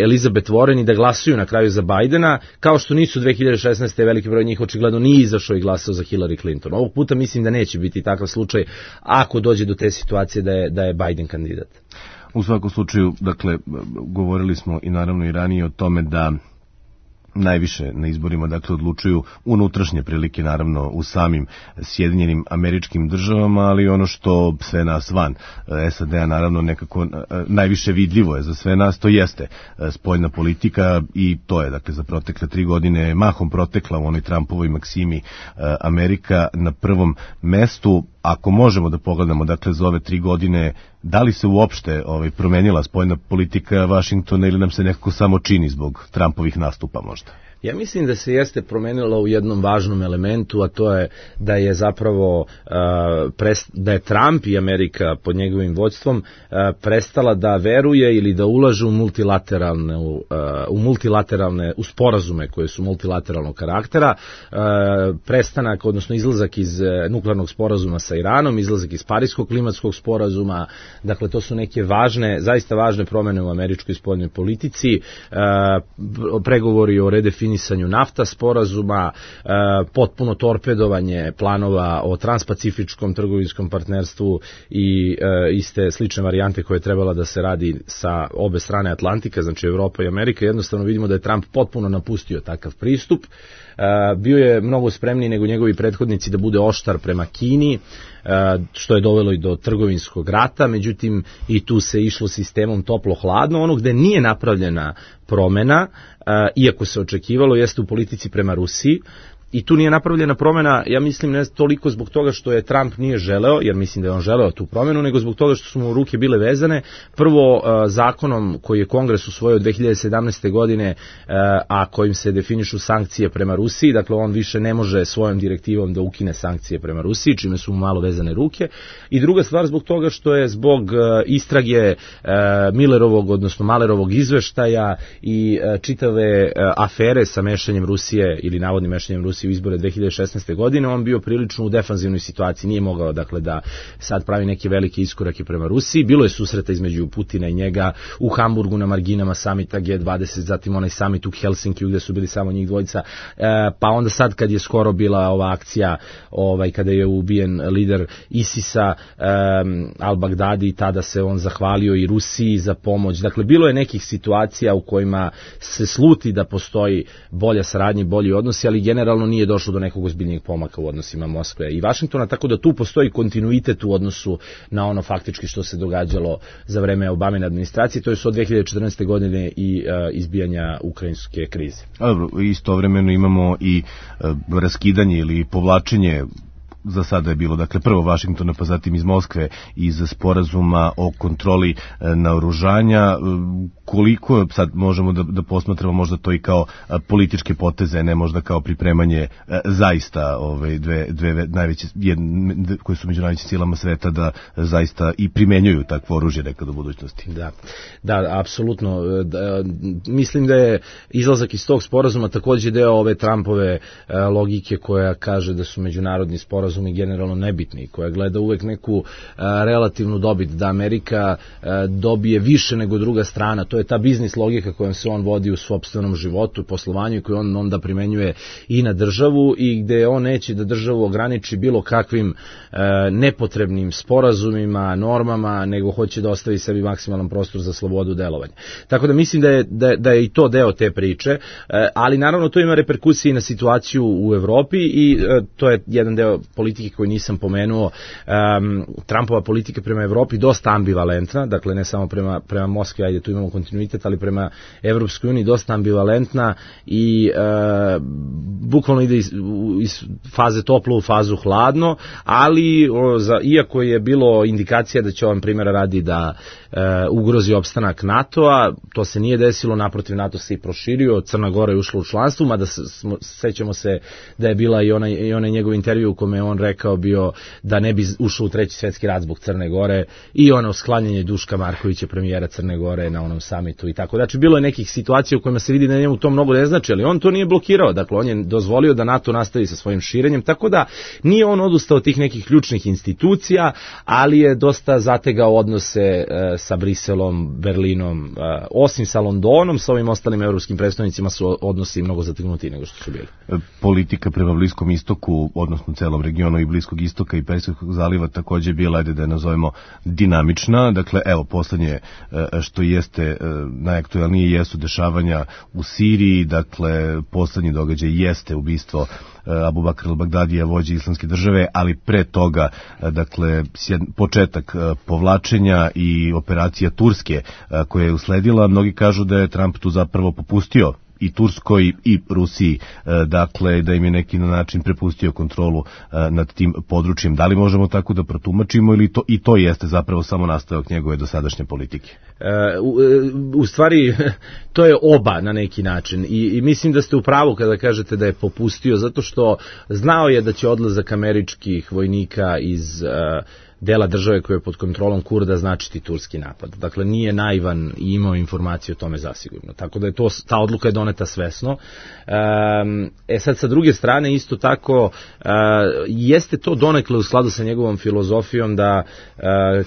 Elizabeth Warren i da glasuju na kraju za Bidena, kao što nisu 2016. veliki broj njih očigledno nije izašao i glasao za Hillary Clinton. Ovog puta mislim da neće biti takav slučaj ako dođe do te situacije da je Biden kandidat. U svakom slučaju, dakle, govorili smo i naravno i ranije o tome da najviše na izborima dakle odlučuju unutrašnje prilike, naravno u samim Sjedinjenim Američkim Državama, ali ono što sve nas van SAD-a naravno nekako najviše vidljivo je za sve nas, to jeste spoljna politika i to je dakle za protekle 3 godine mahom protekla u onoj Trumpovoj maksimi Amerika na prvom mestu. Ako možemo da pogledamo dakle za ove 3 godine, da li se uopšte promenila spoljna politika Vašingtona ili nam se nekako samo čini zbog Trumpovih nastupa možda? Ja mislim da se jeste promenila u jednom važnom elementu, a to je da je zapravo da je Trump i Amerika pod njegovim vođstvom prestala da veruje ili da ulaže u sporazume koje su multilateralnog karaktera, prestanak, odnosno izlazak iz nuklearnog sporazuma sa Iranom, izlazak iz Pariskog klimatskog sporazuma, dakle to su neke zaista važne promene u američkoj spoljnoj politici, pregovori o redefinisanju NAFTA sporazuma, potpuno torpedovanje planova o transpacifičkom trgovinskom partnerstvu i iste slične varijante koje je trebala da se radi sa obe strane Atlantika, znači Evropa i Amerika. Jednostavno vidimo da je Trump potpuno napustio takav pristup. Bio je mnogo spremniji nego njegovi prethodnici da bude oštar prema Kini, što je dovelo i do trgovinskog rata, međutim i tu se išlo sistemom toplo-hladno. Ono gde nije napravljena promena, iako se očekivalo, jeste u politici prema Rusiji. I tu nije napravljena promena, ja mislim, ne toliko zbog toga što je Trump nije želeo, jer mislim da je on želeo tu promenu, nego zbog toga što su mu ruke bile vezane. Prvo, zakonom koji je Kongres usvojio 2017. godine, a kojim se definišu sankcije prema Rusiji, dakle on više ne može svojom direktivom da ukine sankcije prema Rusiji, čime su mu malo vezane ruke. I druga stvar zbog toga što je zbog istrage Millerovog, odnosno Malerovog izveštaja i čitave afere sa mešanjem Rusije ili navodnim mešanjem Rusije u izbore 2016. godine, on bio prilično u defanzivnoj situaciji, nije mogao dakle da sad pravi neke velike iskorake prema Rusiji. Bilo je susreta između Putina i njega u Hamburgu na marginama samita G20, zatim onaj samit u Helsinkiju gde su bili samo njih dvojica, pa onda sad kad je skoro bila ova akcija, kada je ubijen lider ISIS-a Al-Baghdadi, tada se on zahvalio i Rusiji za pomoć. Dakle, bilo je nekih situacija u kojima se sluti da postoji bolja saradnja i bolji odnosi, ali generalno nije došlo do nekog ozbiljnijeg pomaka u odnosima Moskve i Vašingtona, tako da tu postoji kontinuitet u odnosu na ono faktički što se događalo za vreme Obamine administracije, to je od 2014. godine i izbijanja ukrajinske krize. Dobro, istovremeno imamo i raskidanje ili povlačenje za sada je bilo, dakle, prvo Vašingtona, pa zatim iz Moskve, iz sporazuma o kontroli naoružanja. Koliko sad možemo da posmatramo možda to i kao političke poteze, ne možda kao pripremanje zaista dve najveće, koje su među najvećim silama sveta, da zaista i primenjuju takvo oružje nekad u budućnosti. Da, apsolutno. Mislim da je izlazak iz tog sporazuma takođe deo ove Trumpove logike koja kaže da su međunarodni sporazumi generalno nebitni, koja gleda uvek neku relativnu dobit, da Amerika dobije više nego druga strana. To je ta biznis logika kojom se on vodi u sopstvenom životu, poslovanju i koju on onda primenjuje i na državu i gde on neće da državu ograniči bilo kakvim nepotrebnim sporazumima, normama, nego hoće da ostavi sebi maksimalan prostor za slobodu delovanja. Tako da mislim da je i to deo te priče, ali naravno to ima reperkusije i na situaciju u Evropi i to je jedan deo politike koji nisam pomenuo. Trumpova politika prema Evropi dosta ambivalentna, dakle ne samo prema Moskvi, ajde tu imamo kontinuitet, ali prema Evropskoj uniji dosta ambivalentna i bukvalno ide iz faze toplo u fazu hladno, ali iako je bilo indikacija da će ovom primjera radi da ugrozi opstanak NATO-a, to se nije desilo, naprotiv NATO se i proširio, Crna Gora je ušla u članstvo, mada sećamo se da je bila i onaj njegov intervju u kome je on rekao bio da ne bi ušao u Treći svjetski rat zbog Crne Gore i ono sklanjanje Duška Markovića, premijera Crne Gore na onom samitu i tako. Znači bilo je nekih situacija u kojima se vidi da njemu to mnogo ne znači, ali on to nije blokirao, dakle on je dozvolio da NATO nastavi sa svojim širenjem, tako da nije on odustao od tih nekih ključnih institucija, ali je dosta zategao odnose sa Briselom, Berlinom, osim sa Londonom, sa ovim ostalim evropskim predstavnicima su odnosi mnogo zategnuti nego što su bili. Politika prema Bliskom istoku, odnosno celom regionu i Bliskog istoka i Persijskog zaliva takođe bila, ajde da je nazovemo, dinamična. Dakle, evo, poslednje što jeste najaktualnije jesu dešavanja u Siriji, dakle, poslednji događaj jeste ubistvo Abu Bakr al-Bagdadija, vođe Islamske države, ali pre toga, dakle, početak povlačenja i operacija Turske koja je usledila. Mnogi kažu da je Trump tu zapravo popustio i Turskoj i Rusiji, dakle, da im je neki način prepustio kontrolu nad tim područjem. Da li možemo tako da protumačimo ili to jeste zapravo samo nastavak njegove dosadašnje politike? U stvari, to je oba na neki način i mislim da ste u pravu kada kažete da je popustio, zato što znao je da će odlazak američkih vojnika iz dela države koje je pod kontrolom Kurda značiti turski napad. Dakle, nije naivan i imao informacije o tome zasigurno. Tako da je ta odluka je doneta svesno. Sad, sa druge strane, isto tako, jeste to donekle u skladu sa njegovom filozofijom da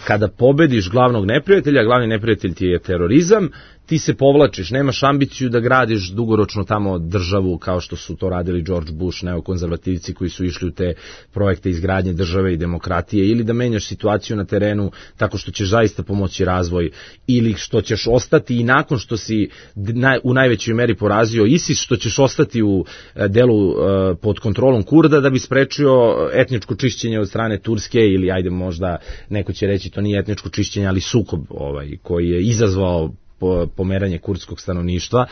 kada pobediš glavnog neprijatelja, glavni neprijatelj ti je terorizam, ti se povlačiš, nemaš ambiciju da gradiš dugoročno tamo državu kao što su to radili George Bush, neokonzervativci koji su išli u te projekte izgradnje države i demokratije, ili da menjaš situaciju na terenu tako što ćeš zaista pomoći razvoj, ili što ćeš ostati i nakon što si u najvećoj meri porazio ISIS, što ćeš ostati u delu pod kontrolom Kurda da bi sprečio etničko čišćenje od strane Turske, ili ajde možda neko će reći to nije etničko čišćenje, ali sukob koji je izazvao pomeranje kurdskog stanovništva.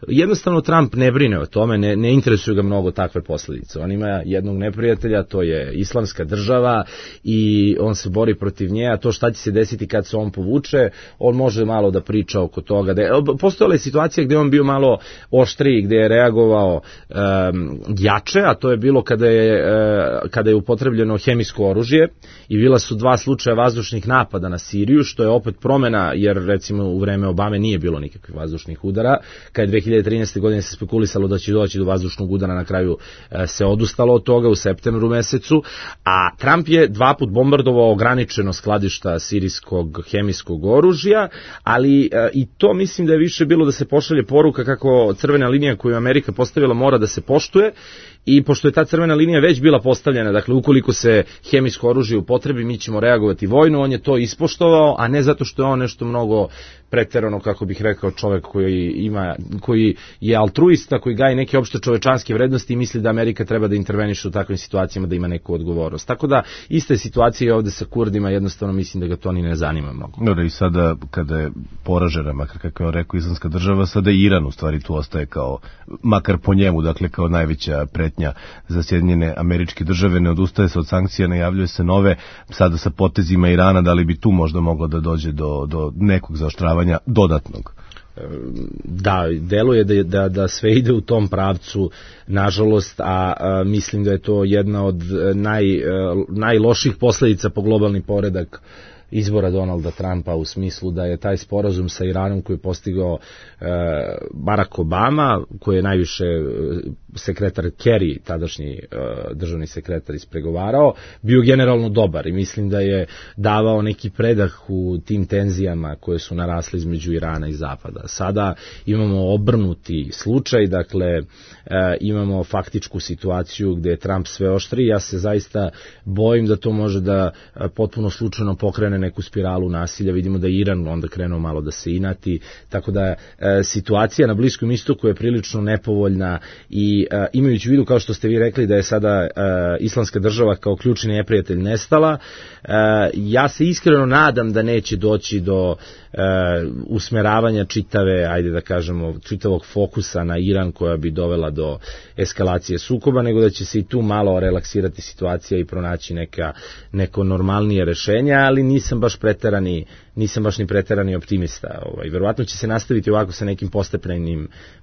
Jednostavno Trump ne brine o tome, ne interesuju ga mnogo takve posljedice. On ima jednog neprijatelja, to je Islamska država i on se bori protiv nje, a to šta će se desiti kad se on povuče, on može malo da priča oko toga. Postojala je situacija gde on bio malo oštriji, gde je reagovao jače, a to je bilo kada je upotrebljeno hemijsko oružje i bila su 2 slučaja vazdušnih napada na Siriju, što je opet promena, jer recimo u vreme Obame nije bilo nikakvih vazdušnih udara. Kad je 2013. godine se spekulisalo da će doći do vazdušnog udara, na kraju se odustalo od toga u septembru mesecu, a Trump je 2 put bombardovao ograničeno skladišta sirijskog hemijskog oružja, ali i to mislim da je više bilo da se pošalje poruka kako crvena linija koju Amerika postavila mora da se poštuje. I pošto je ta crvena linija već bila postavljena, dakle ukoliko se hemijsko oružje upotrebi, mi ćemo reagovati vojno, on je to ispoštovao, a ne zato što je on nešto mnogo preterano, kako bih rekao, čovjek koji je altruista, koji gaji neke opšte čovečanske vrednosti i misli da Amerika treba da interveniše u takvim situacijama, da ima neku odgovornost. Tako da ista je situacija ovde sa Kurdima, jednostavno mislim da ga to ni ne zanima mnogo. No, da i sada kada je poražena, makar kako je on rekao, Islamska država, sada i Iran u stvari tu ostaje kao, makar po njemu, dakle kao najveća pretnja pretnja za Sjedinjene Američke Države, ne odustaje se od sankcija, najavljuje se nove, sada sa potezima Irana, da li bi tu možda moglo da dođe do nekog zaoštravanja dodatnog? Da, deluje da sve ide u tom pravcu, nažalost, a mislim da je to jedna od najloših posledica po globalni poredak izbora Donalda Trumpa, u smislu da je taj sporazum sa Iranom koji je postigao Barack Obama, koji je najviše sekretar Kerry, tadašnji državni sekretar, ispregovarao, bio generalno dobar i mislim da je davao neki predah u tim tenzijama koje su narasle između Irana i Zapada. Sada imamo obrnuti slučaj, dakle imamo faktičku situaciju gde je Trump sve oštriji. Ja se zaista bojim da to može da potpuno slučajno pokrene neku spiralu nasilja. Vidimo da je Iran onda krenuo malo da se inati, tako da situacija na Bliskom istoku je prilično nepovoljna i imajući u vidu, kao što ste vi rekli, da je sada Islamska država kao ključni neprijatelj nestala, ja se iskreno nadam da neće doći do usmeravanja čitavog fokusa na Iran koja bi dovela do eskalacije sukoba, nego da će se i tu malo relaksirati situacija i pronaći neko normalnije rešenje, ali nisam baš ni preterani optimista. Verovatno će se nastaviti ovako sa nekim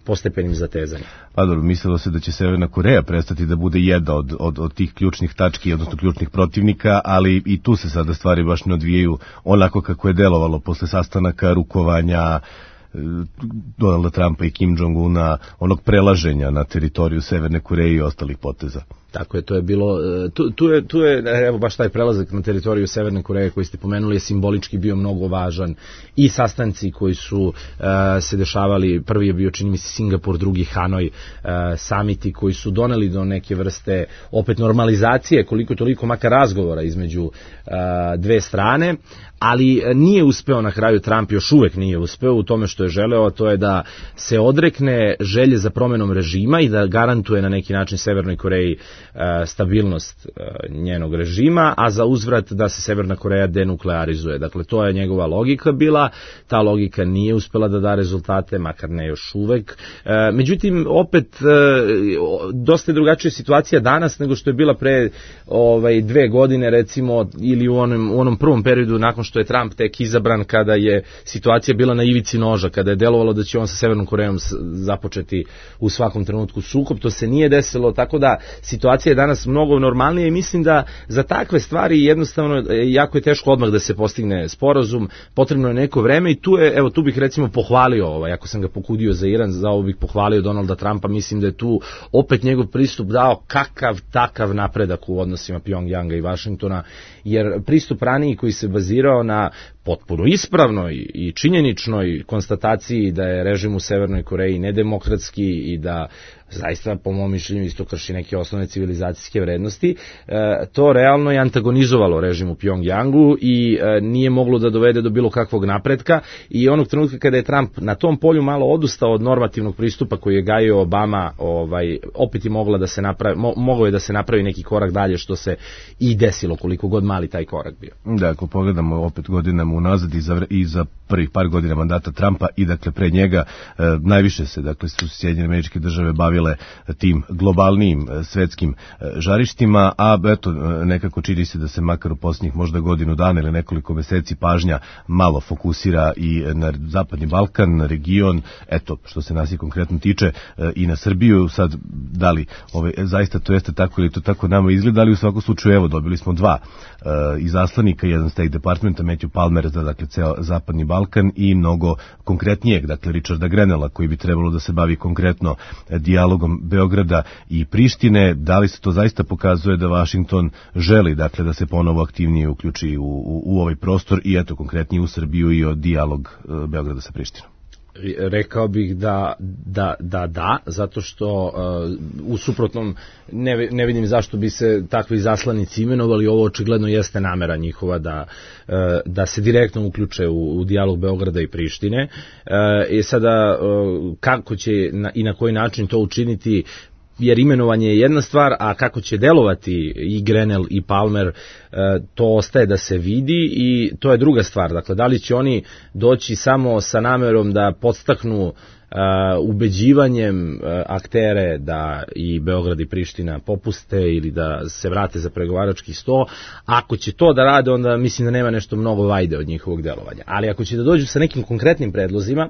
postepenim zatezanjem. Pa dobro, mislilo se da će Severna Koreja prestati da bude jedna od tih ključnih tački, odnosno ključnih protivnika, ali i tu se sada stvari baš ne odvijaju onako kako je delovalo posle sastanaka, rukovanja Donalda Trumpa i Kim Jong-una, onog prelaženja na teritoriju Severne Koreje i ostalih poteza. Tako je, to je bilo, tu je, evo baš taj prelazak na teritoriju Severne Koreje koji ste pomenuli je simbolički bio mnogo važan i sastanci koji su se dešavali, prvi je bio čini mi se Singapur, drugi Hanoj, samiti koji su doneli do neke vrste opet normalizacije, koliko toliko makar razgovora između dve strane, ali nije uspeo na kraju, Trump još uvek nije uspeo u tome što je želeo, to je da se odrekne želje za promenom režima i da garantuje na neki način Severnoj Koreji stabilnost njenog režima, a za uzvrat da se Severna Koreja denuklearizuje. Dakle, to je njegova logika bila, ta logika nije uspela da da rezultate, makar ne još uvek. Međutim, opet, dosta je drugačija situacija danas nego što je bila pre 2 godine, recimo, ili u onom prvom periodu nakon što je Trump tek izabran, kada je situacija bila na ivici noža, kada je delovalo da će on sa Severnom Korejom započeti u svakom trenutku sukob. To se nije desilo, tako da situacija je danas mnogo normalnija i mislim da za takve stvari jednostavno jako je teško odmah da se postigne sporazum, potrebno je neko vreme i tu bih recimo pohvalio, ako sam ga pokudio za Iran, za ovo bih pohvalio Donalda Trumpa, mislim da je tu opet njegov pristup dao takav napredak u odnosima Pjongjanga i Vašingtona, jer pristup raniji koji se bazirao na potpuno ispravnoj i činjeničnoj konstataciji da je režim u Severnoj Koreji nedemokratski i da zaista, po mom mišljenju, isto krši neke osnovne civilizacijske vrednosti, to realno je antagonizovalo režim u Pjongjangu i nije moglo da dovede do bilo kakvog napretka i onog trenutka kada je Trump na tom polju malo odustao od normativnog pristupa koji je gajio Obama, opet je mogao je da se napravi neki korak dalje, što se i desilo, koliko god mali taj korak bio. Da, ako pogledamo opet godinama unazad i za prvih par godina mandata Trumpa i dakle pre njega, najviše se su Sjedinjene Američke Države bavile tim globalnim svetskim žarištima, a eto nekako čini se da se makar u posljednjih možda godinu dana ili nekoliko meseci pažnja malo fokusira i na Zapadni Balkan, na region, eto što se nas i konkretno tiče i na Srbiju. Sad, da li zaista to jeste tako ili to tako nama izgleda, ali u svakom slučaju evo dobili smo 2 izaslanika, jedan State Departmenta, Matthew Palmer za dakle ceo Zapadni Balkan i mnogo konkretnijeg, dakle Richarda Grenella, koji bi trebalo da se bavi konkretno dijalogom Beograda i Prištine. Da li se to zaista pokazuje da Vašington želi dakle da se ponovo aktivnije uključi u ovaj prostor i eto konkretnije u Srbiju i o dijalog Beograda sa Prištinom? Rekao bih da, zato što u suprotnom ne vidim zašto bi se takvi zaslanici imenovali. Ovo očigledno jeste namera njihova da se direktno uključe u dijalog Beograda i Prištine. Sada kako će i na koji način to učiniti, jer imenovanje je jedna stvar, a kako će delovati i Grenell i Palmer, to ostaje da se vidi i to je druga stvar. Dakle, da li će oni doći samo sa namerom da podstaknu ubeđivanjem aktere da i Beograd i Priština popuste ili da se vrate za pregovarački sto. Ako će to da rade, onda mislim da nema nešto mnogo vajde od njihovog delovanja. Ali ako će da dođu sa nekim konkretnim predlozima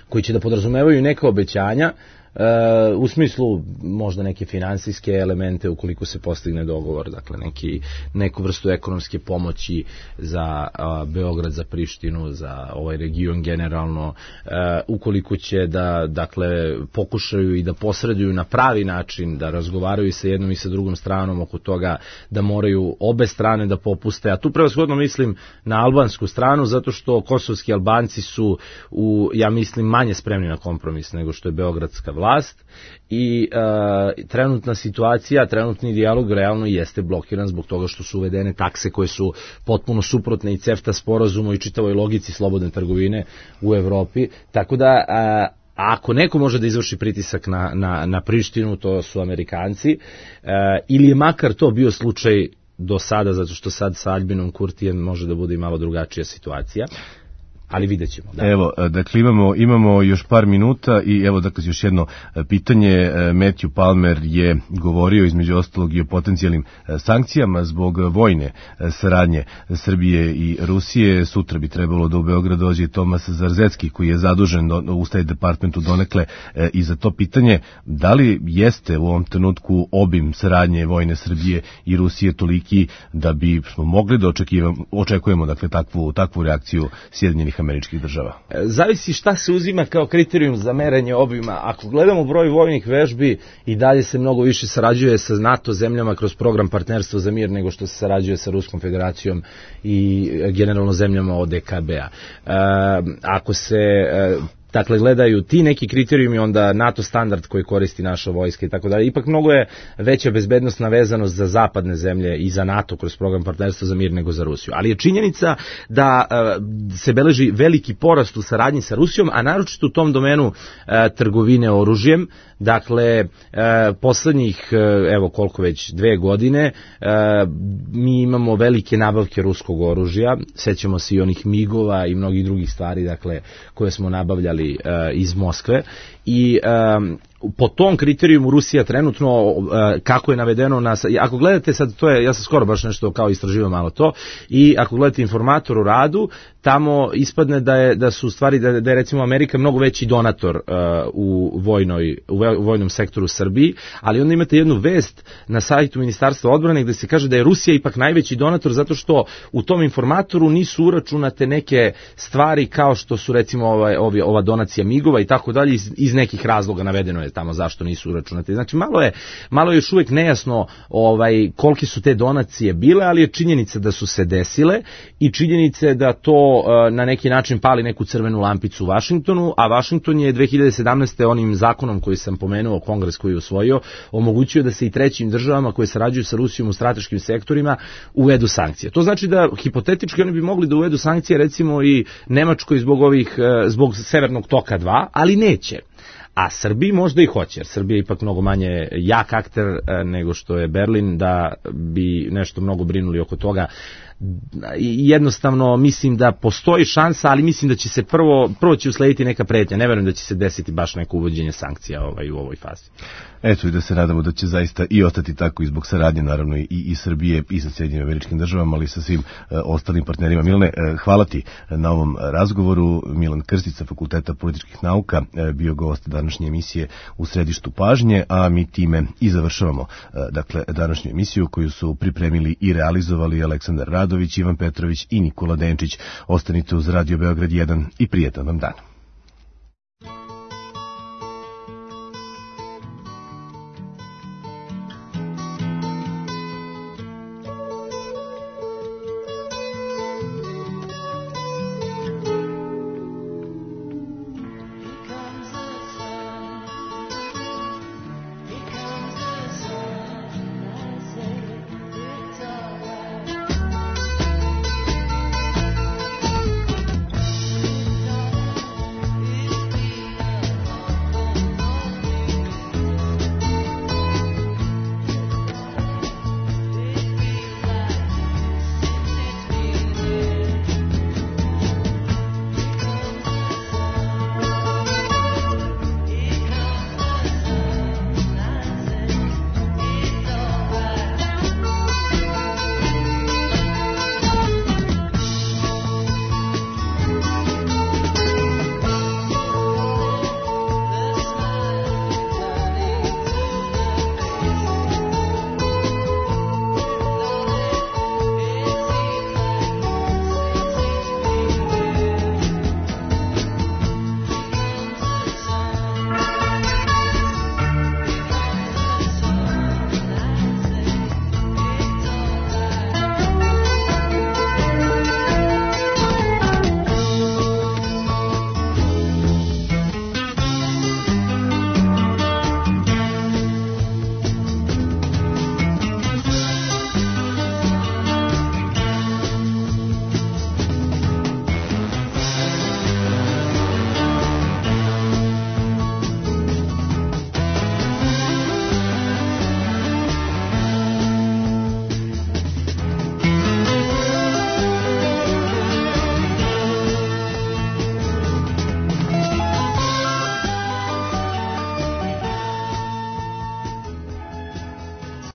koji će da podrazumevaju neka obećanja, u smislu možda neke finansijske elemente ukoliko se postigne dogovor, dakle neku vrstu ekonomske pomoći za Beograd, za Prištinu, za ovaj region generalno, ukoliko će da dakle pokušaju i da posreduju na pravi način, da razgovaraju sa jednom i sa drugom stranom oko toga da moraju obe strane da popuste, a tu prevashodno mislim na albansku stranu, zato što kosovski Albanci su ja mislim manje spremni na kompromis nego što je beogradska vlast i trenutna situacija, trenutni dijalog realno jeste blokiran zbog toga što su uvedene takse koje su potpuno suprotne i CEFTA sporazumu i čitavoj logici slobodne trgovine u Evropi, tako da ako neko može da izvrši pritisak na Prištinu, to su Amerikanci, ili je makar to bio slučaj do sada, zato što sad sa Albinom Kurtijem može da bude i malo drugačija situacija. Ali vidjet ćemo. Da. Evo, dakle imamo još par minuta i evo dakle još jedno pitanje. Matthew Palmer je govorio između ostalog i o potencijalnim sankcijama zbog vojne saradnje Srbije i Rusije. Sutra bi trebalo da u Beograd dođe i Tomas Zarzecki koji je zadužen u State Departmentu donekle i za to pitanje. Da li jeste u ovom trenutku obim saradnje vojne Srbije i Rusije toliki da bi smo mogli da očekujemo dakle takvu reakciju Sjedinjenih Američkih Država? Zavisi šta se uzima kao kriterijum za merenje obima. Ako gledamo broj vojnih vežbi, i dalje se mnogo više sarađuje sa NATO zemljama kroz program Partnerstvo za mir nego što se sarađuje sa Ruskom federacijom i generalno zemljama ODKB-a. Ako se dakle gledaju ti neki kriterijumi, onda NATO standard koji koristi naša vojska i tako dalje. Ipak mnogo je veća bezbednostna vezanost za zapadne zemlje i za NATO kroz program Partnerstva za mir nego za Rusiju. Ali je činjenica da se beleži veliki porast u saradnji sa Rusijom, a naročito u tom domenu trgovine oružjem. Dakle, poslednjih, evo koliko već, 2 godine, mi imamo velike nabavke ruskog oružja, sećamo se i onih migova i mnogih drugih stvari, dakle, koje smo nabavljali iz Moskve i po tom kriterijumu Rusija trenutno, kako je navedeno, ako gledate sad, to je, ja sam skoro baš nešto kao istraživao malo to, i ako gledate Informator u radu, tamo ispadne da su stvari, da je recimo Amerika mnogo veći donator u vojnom sektoru Srbiji, ali onda imate jednu vest na sajtu Ministarstva odbrane gde se kaže da je Rusija ipak najveći donator zato što u tom Informatoru nisu uračunate neke stvari kao što su recimo ova donacija migova i tako dalje, iz nekih razloga navedeno je tamo zašto nisu uračunate. Znači malo je još uvijek nejasno kolike su te donacije bile, ali je činjenica da su se desile i činjenica da to na neki način pali neku crvenu lampicu u Vašingtonu, a Vašington je 2017. onim zakonom koji sam pomenuo, Kongres koji je usvojio, omogućio da se i trećim državama koje sarađuju sa Rusijom u strateškim sektorima uvedu sankcije. To znači da hipotetički oni bi mogli da uvedu sankcije recimo i Nemačkoj zbog Severnog toka 2, ali neće. A Srbiji možda i hoće, jer Srbija je ipak mnogo manje jak akter nego što je Berlin, da bi nešto mnogo brinuli oko toga. Jednostavno mislim da postoji šansa, ali mislim da će se prvo će uslediti neka pretnja. Ne verujem da će se desiti baš neko uvođenje sankcija u ovoj fazi. Eto, i da se nadamo da će zaista i ostati tako i zbog saradnje naravno i Srbije i sa Sjedinjenim Američkim Državama, ali i sa svim ostalim partnerima. Milane, hvala ti na ovom razgovoru. Milan Krstić sa Fakulteta političkih nauka bio gost današnje emisije U središtu pažnje, a mi time i završavamo dakle današnju emisiju koju su pripremili i realizovali Aleksandar Radović, Ivan Petrović i Nikola Denčić. Ostanite uz Radio Beograd 1 i prijetan vam dan.